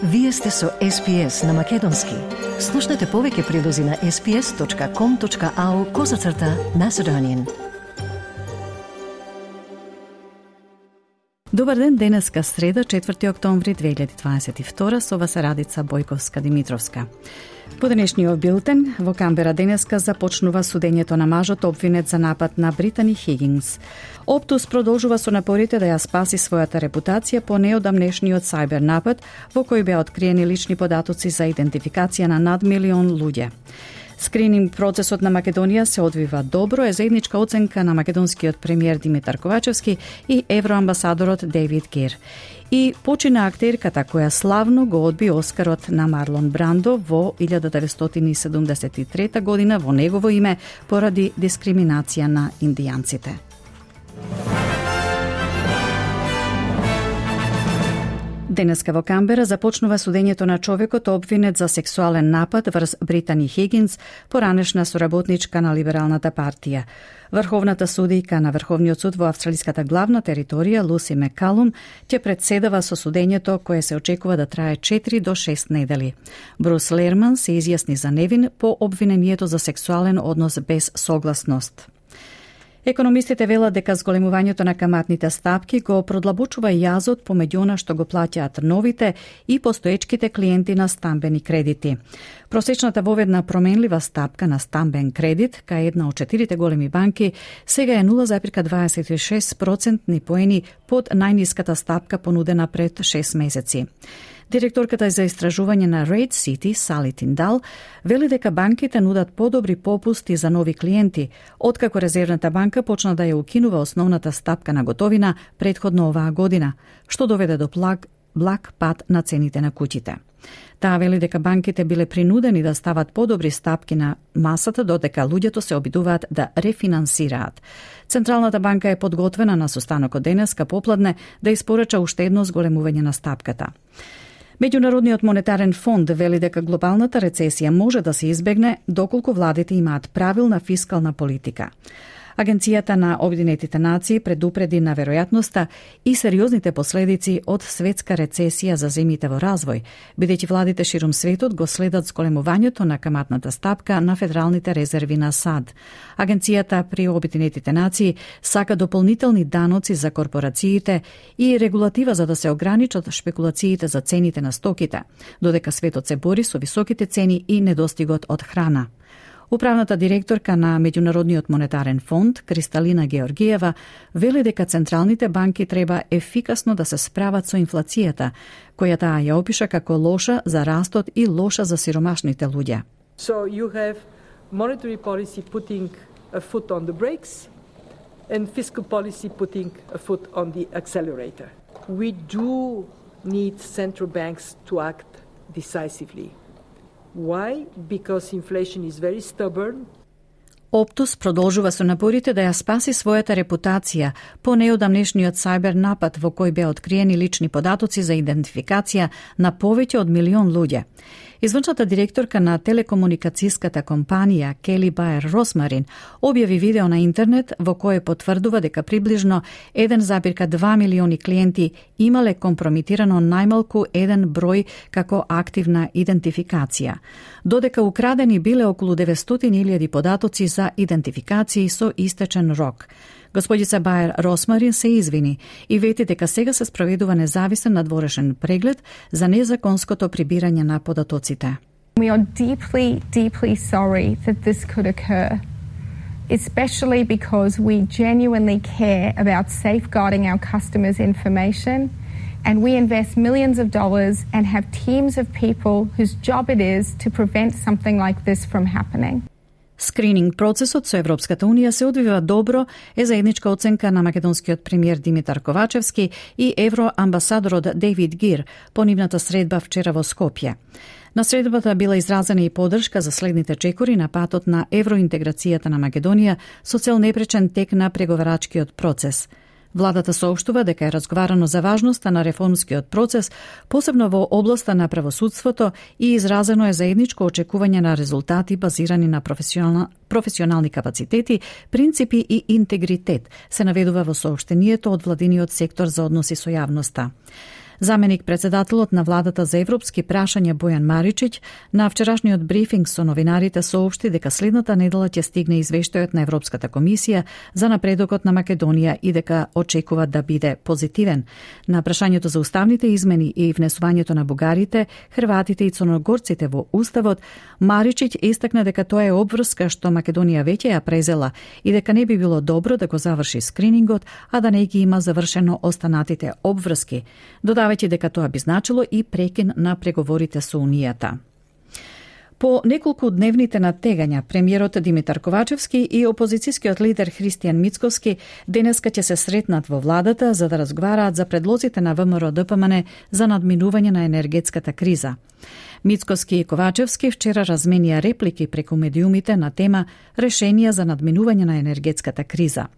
Вие сте со SPS на Македонски. Слушнете повеќе прилози на sps.com.au/Macedonian. Добар ден, денеска среда, 4 октомври 2022, со вас Радица Бојковска-Димитровска. По денешниот билтен, во Камбера денеска започнува судењето на мажот обвинет за напад на Британи Хигинс. Оптус продолжува со напорите да ја спаси својата репутација по неодамнешниот сајбер напад, во кој беа откриени лични податоци за идентификација на над 1 милион луѓе. Скрининг процесот на Македонија се одвива добро, е заедничка оценка на македонскиот премиер Димитар Ковачевски и евроамбасадорот Дейвид Гир. И почина актерката која славно го одби Оскарот на Марлон Брандо во 1973 година во негово име поради дискриминација на индијанците. Денеска во Камбера започнува судењето на човекот обвинет за сексуален напад врз Британи Хигинс, поранешна соработничка на Либералната партија. Врховната судијка на Врховниот суд во австралиската главна територија, Луси Мекалум, ќе председава со судењето кое се очекува да трае 4 до 6 недели. Брус Лерман се изјасни за невин по обвинението за сексуален однос без согласност. Економистите велат дека зголемувањето на каматните стапки го продлабочува јазот помеѓу она што го плаќаат новите и постоечките клиенти на стамбени кредити. Просечната воведна променлива стапка на стамбен кредит, кај една од 4 големи банки, сега е 0,26% поени под најниската стапка понудена пред 6 месеци. Директорката за истражување на Rate City, Сали Тиндал, вели дека банките нудат подобри попусти за нови клиенти, откако Резервната банка почна да ја укинува основната стапка на готовина претходно оваа година, што доведе до благ пад на цените на куќите. Таа вели дека банките биле принудени да стават подобри стапки на масата, додека луѓето се обидуваат да рефинансираат. Централната банка е подготвена на состанокот денеска попладне да испорача уште едно зголемување на стапката. Меѓународниот монетарен фонд вели дека глобалната рецесија може да се избегне доколку владите имаат правилна фискална политика. Агенцијата на Обединетите нации предупреди на веројатноста и сериозните последици од светска рецесија за земјите во развој, бидејќи владите ширум светот го следат зголемувањето на каматната стапка на федералните резерви на САД. Агенцијата при Обединетите нации сака дополнителни даноци за корпорациите и регулатива за да се ограничат шпекулациите за цените на стоките, додека светот се бори со високите цени и недостигот од храна. Управната директорка на Меѓународниот монетарен фонд, Кристалина Георгиева, вели дека централните банки треба ефикасно да се справат со инфлацијата, која таа ја опиша како лоша за растот и лоша за сиромашните луѓе. So you have monetary policy putting a foot on the brakes and fiscal policy putting a foot on the accelerator. We do need central banks to act decisively. Why? Because inflation is very stubborn. Оптус продолжува со напорите да ја спаси својата репутација по неодамнешниот сајбер напад во кој беа откриени лични податоци за идентификација на повеќе од 1 милион луѓе. Извршната директорка на телекомуникацијската компанија Кели Баер Росмарин објави видео на интернет во кое потврдува дека приближно 1,2 милиони клиенти имале компромитирано најмалку еден број како активна идентификација, додека украдени биле околу 900.000 податоци за идентификации со истечен рок. Господица Баер Росмарин се извини и вети дека сега се спроведува независен надворешен преглед за незаконското прибирање на податоците. We are deeply, deeply sorry that this could occur, especially because we genuinely care about safeguarding our customers' information, and we invest millions of dollars and have teams of people whose job it is to prevent something like this from happening. Скрининг процесот со Европската Унија се одвива добро, е заедничка оценка на македонскиот премиер Димитар Ковачевски и евроамбасадорот Дейвид Гир по нивната средба вчера во Скопје. На средбата била изразена и поддршка за следните чекори на патот на евроинтеграцијата на Македонија со цел непречен тек на преговарачкиот процес. Владата соопштува дека е разговарано за важноста на реформскиот процес, посебно во областа на правосудството, и изразено е заедничко очекување на резултати базирани на професионални капацитети, принципи и интегритет, се наведува во соопштението од владиниот сектор за односи со јавноста. Заменик председателот на владата за европски прашања Бојан Маричиќ на вчерашниот брифинг со новинарите соопшти дека следната недела ќе стигне извештајот на Европската комисија за напредокот на Македонија и дека очекува да биде позитивен. На прашањето за уставните измени и внесувањето на бугарите, хрватите и црногорците во уставот, Маричиќ истакна дека тоа е обврска што Македонија веќе ја презела и дека не би било добро да го заврши скринингот, а да не ги има завршено останатите обврски, додавајќи дека тоа би значило и прекин на преговорите со Унијата. По неколку дневните натегања, премиерот Димитар Ковачевски и опозицијскиот лидер Христијан Мицковски денеска ќе се сретнат во владата за да разговараат за предлозите на ВМРО-ДПМН за надминување на енергетската криза. Мицковски и Ковачевски вчера разменија реплики преку медиумите на тема решенија за надминување на енергетската криза.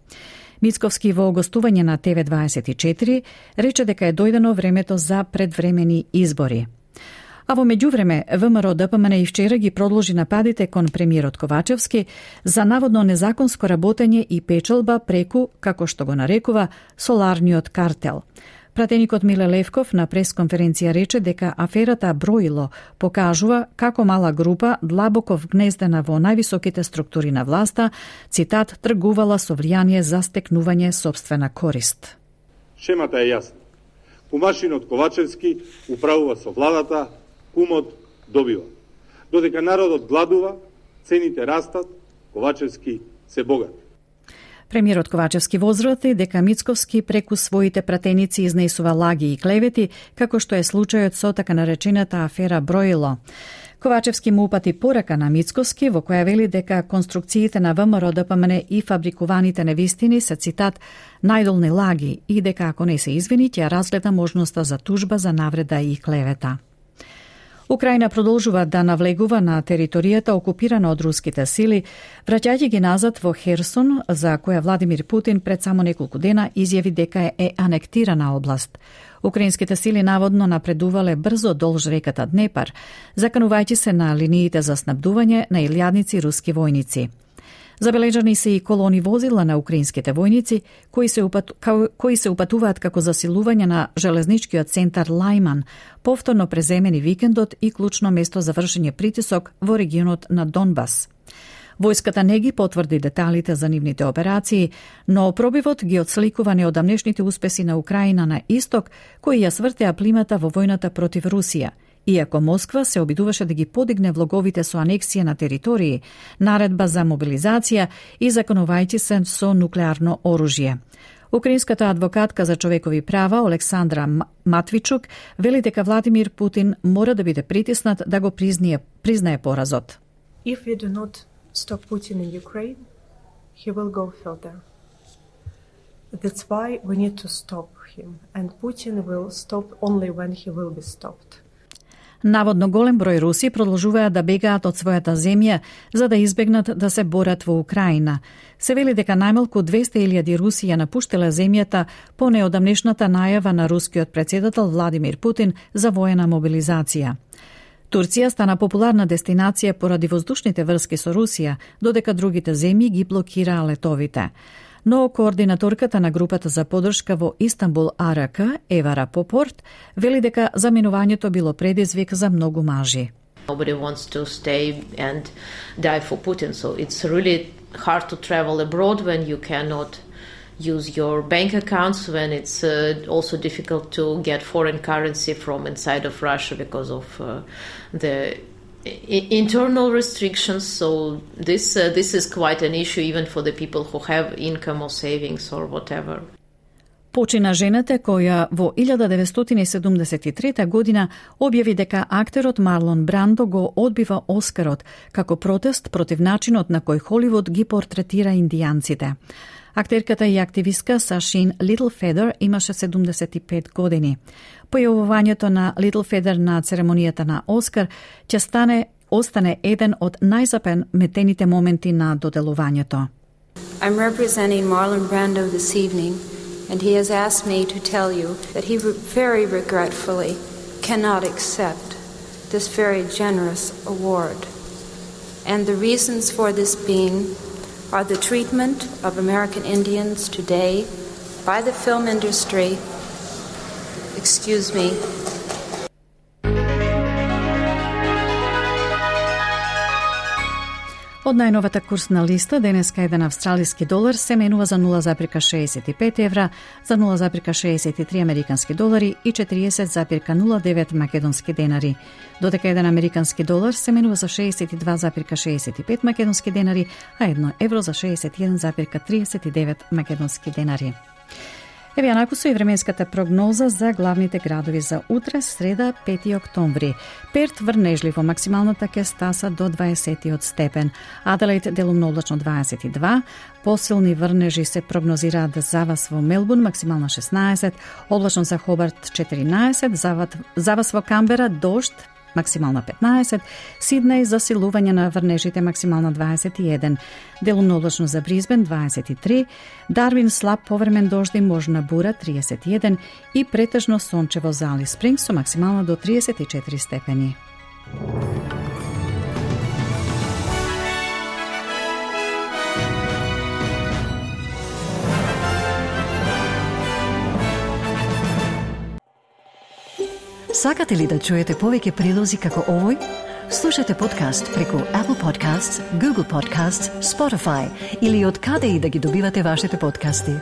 Мицковски во гостување на ТВ24 рече дека е дојдено времето за предвремени избори. А во меѓувреме, ВМРО-ДПМН и вчера ги продолжи нападите кон премиерот Ковачевски за наводно незаконско работење и печалба преку, како што го нарекува, соларниот картел. Пратеникот Миле Левков на пресконференција рече дека аферата Броило покажува како мала група длабоко вгнездена во највисоките структури на власта, цитат, тргувала со влијание за стекнување сопствена корист. Шемата е јасна. Кумашинот Ковачевски управува со владата, кумот добива. Додека народот гладува, цените растат, Ковачевски се богат. Премиерот Ковачевски возврати дека Мицковски преку своите пратеници изнесува лаги и клевети, како што е случајот со така наречената афера Броило. Ковачевски му упати порака на Мицковски во која вели дека конструкциите на ВМРО-ДПМН и фабрикуваните невистини се, цитат, најдолни лаги и дека ако не се извини, ќе разгледа можноста за тужба за навреда и клевета. Украина продолжува да навлегува на територијата окупирана од руските сили, враќајќи ги назад во Херсон, за која Владимир Путин пред само неколку дена изјави дека е анектирана област. Украинските сили наводно напредувале брзо долж реката Днепар, заканувајќи се на линиите за снабдување на илјадници руски војници. Забележани се и колони возила на украинските војници, кои се упатуваат како засилување на железничкиот центар Лајман, повторно преземени викендот и клучно место за вршење притисок во регионот на Донбас. Војската не ги потврди деталите за нивните операции, но пробивот ги отсликува неодамнешните успеси на Украина на исток, кои ја свртеа плимата во војната против Русија, иако Москва се обидуваше да ги подигне влоговите со анексија на територии, наредба за мобилизација и законувајќи се со нуклеарно оружје. Украинската адвокатка за човекови права Олександра Матвичук вели дека Владимир Путин мора да биде притиснат да го признае поразот. If we do not stop Putin in Ukraine, he will go further. That's why we need to stop him, and Putin will stop only when he will be stopped. Наводно голем број руси продолжуваат да бегаат од својата земја за да избегнат да се борат во Украина. Се вели дека најмалку 200.000 руси ја напуштиле земјата по неодамнешната најава на рускиот претседател Владимир Путин за воена мобилизација. Турција стана популарна дестинација поради воздушните врски со Русија, додека другите земји ги блокираа летовите. Но координаторката на групата за поддршка во Истанбул АРК, Ева Рапопорт, вели дека заминувањето било предизвик за многу мажи. Nobody wants to stay and die for Putin, so it's really hard to travel abroad when you cannot use your bank accounts, when it's also difficult to get foreign currency from inside of Russia because of the internal restrictions. So this is quite an issue even for the people who have income or savings or whatever. Почина жената која во 1973 година објави дека актерот Марлон Брандо го одбива Оскарот како протест против начинот на кој Холивуд ги портретира индијанците. Актерката и активистка Сашин Литлфедер имаше 75 години. Појавувањето на Литлфедер на церемонијата на Оскар ќе остане еден од најзапаметените моменти на доделувањето. I'm representing Marlon Brando this evening, and he has asked me to tell you that he very regretfully cannot accept this very generous award. And the reasons for this being are the treatment of American Indians today by the film industry Excuse me. Од најновата курсна листа, денеска еден австралиски долар се менува за 0,65 евра, за 0,63 американски долари и 40,09 македонски денари. Додека еден американски долар се менува за 62,65 македонски денари, а 1 евро за 61,39 македонски денари. Еве јанаку со и временската прогноза за главните градови за утре, среда, 5 октомври. Перт врнежливо, максималната ќе стаса до 20 степен. Аделаид делумно облачно 22, посилни врнежи се прогнозираат за вас во Мелбурн, максимална 16, облачно за Хобарт 14, за вас во Камбера дожд, максимална 15, Сиднеј засилување на врнежите, максимална 21, делумно облачно за Бризбен 23, Дарвин слаб повремен дожди, можна бура 31 и претежно сончево за Алис Спрингс со максимална до 34 степени. Сакате ли да чуете повеќе прилози како овој? Слушате подкаст преку Apple Podcasts, Google Podcasts, Spotify или од каде и да ги добивате вашите подкасти.